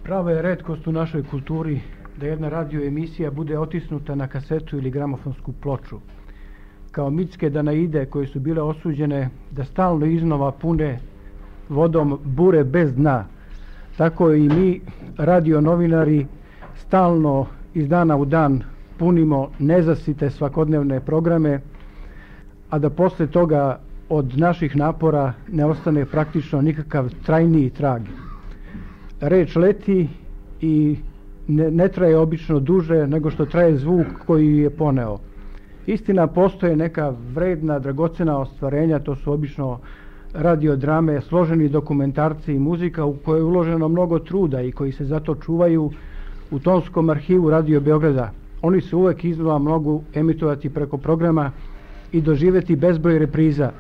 Prava je retkost u našoj kulturi da jedna radio emisija bude otisnuta na kasetu ili gramofonsku ploču. Kao mitske Danaide koje su bile osuđene da stalno iznova pune vodom bure bez dna, tako i mi, radio novinari, stalno iz dana u dan punimo nezasite svakodnevne programe, a da posle toga od naših napora ne ostane praktično nikakav trajniji trag. Reč leti i ne traje obično duže nego što traje zvuk koji je poneo. Istina, postoje neka vredna, dragocena ostvarenja, to su obično radiodrame, složeni dokumentarci i muzika u koje je uloženo mnogo truda i koji se zato čuvaju u tonskom arhivu Radio Beograda. Oni se uvek iznova mogu emitovati preko programa i doživjeti bezbroj repriza.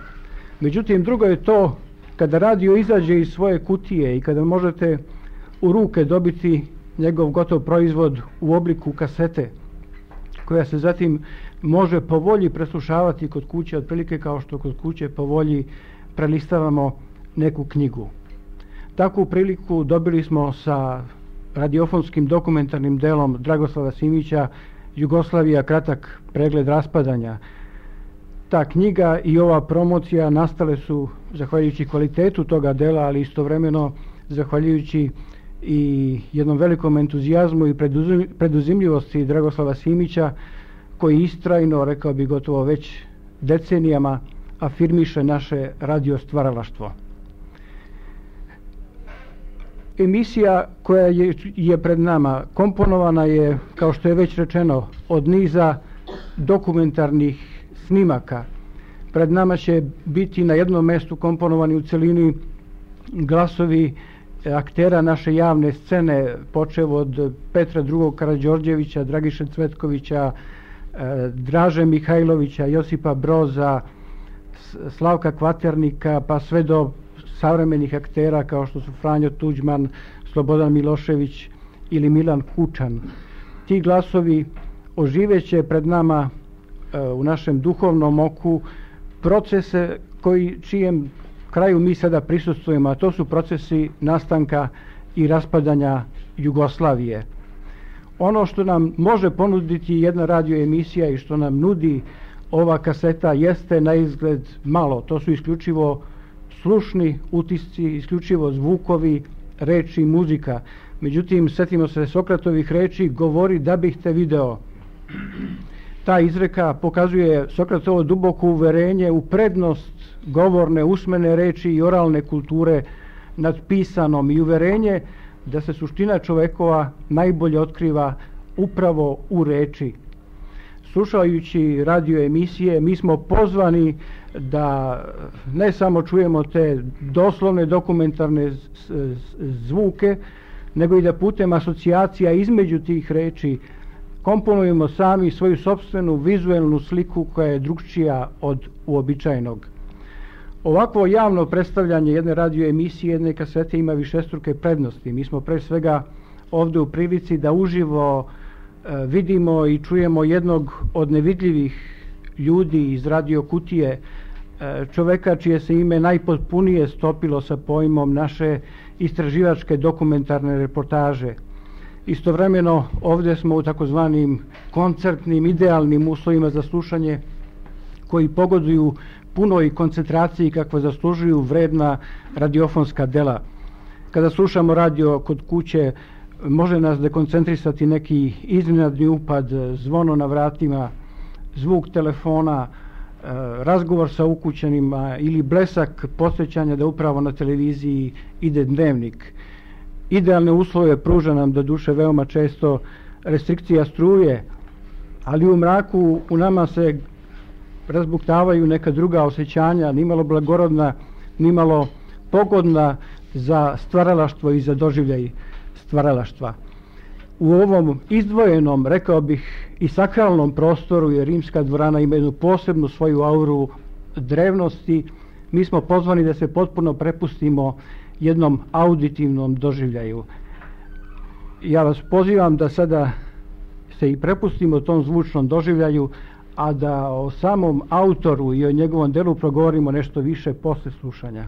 Međutim, drugo je to kada radio izađe iz svoje kutije i kada možete u ruke dobiti njegov gotov proizvod u obliku kasete, koja se zatim može po volji preslušavati kod kuće, otprilike kao što kod kuće po volji prelistavamo neku knjigu. Takvu priliku dobili smo sa radiofonskim dokumentarnim delom Dragoslava Simića Jugoslavija, kratak pregled raspadanja. Ta knjiga i ova promocija nastale su zahvaljujući kvalitetu toga dela, ali istovremeno zahvaljujući i jednom velikom entuzijazmu i preduzimljivosti Dragoslava Simića, koji istrajno, rekao bi gotovo već decenijama, afirmiše naše radiostvaralaštvo. Emisija koja je pred nama komponovana je, kao što je već rečeno, od niza dokumentarnih snimaka. Pred nama će biti na jednom mestu komponovani u celini glasovi aktera naše javne scene, počev od Petra II. Karađorđevića, Dragiše Cvetkovića, Draže Mihajlovića, Josipa Broza, Slavka Kvaternika, pa sve do savremenih aktera kao što su Franjo Tuđman, Slobodan Milošević ili Milan Kučan. Ti glasovi oživeće pred nama u našem duhovnom oku procese čijem kraju mi sada prisustvujemo, a to su procesi nastanka i raspadanja Jugoslavije. Ono što nam može ponuditi jedna radio emisija i što nam nudi ova kaseta jeste na izgled malo. To su isključivo slušni utisci, isključivo zvukovi, reči i muzika. Međutim, setimo se Sokratovih reči, govori da bih te video. Ta izreka pokazuje Sokratovo duboko uverenje u prednost govorne, usmene reči i oralne kulture nad pisanom i uverenje da se suština čovekova najbolje otkriva upravo u reči. Slušajući radio emisije, mi smo pozvani da ne samo čujemo te doslovne dokumentarne zvuke, nego i da putem asocijacija između tih reči komponujemo sami svoju sopstvenu vizuelnu sliku koja je drugčija od uobičajenog. Ovakvo javno predstavljanje jedne radio emisije, jedne kasete ima višestruke prednosti. Mi smo pre svega ovdje u prilici da uživo vidimo i čujemo jednog od nevidljivih ljudi iz radio kutije, čoveka čije se ime najpotpunije stopilo sa pojmom naše istraživačke dokumentarne reportaže. Istovremeno ovdje smo u takozvanim koncertnim, idealnim uslovima za slušanje koji pogoduju punoj koncentraciji kakva zaslužuju vredna radiofonska dela. Kada slušamo radio kod kuće, može nas dekoncentrisati neki iznenadni upad, zvono na vratima, zvuk telefona, razgovor sa ukućanima ili blesak podsjećanja da upravo na televiziji ide dnevnik. Idealne uslove pruža nam do duše veoma često restrikcija struje, ali u mraku u nama se razbuktavaju neka druga osjećanja, nimalo blagorodna, nimalo pogodna za stvaralaštvo i za doživljaj stvaralaštva. U ovom izdvojenom, rekao bih, i sakralnom prostoru, jer Rimska dvorana ima jednu posebnu svoju auru drevnosti, mi smo pozvani da se potpuno prepustimo jednom auditivnom doživljaju. Ja vas pozivam da sada se i prepustimo tom zvučnom doživljaju, a da o samom autoru i o njegovom delu progovorimo nešto više posle slušanja.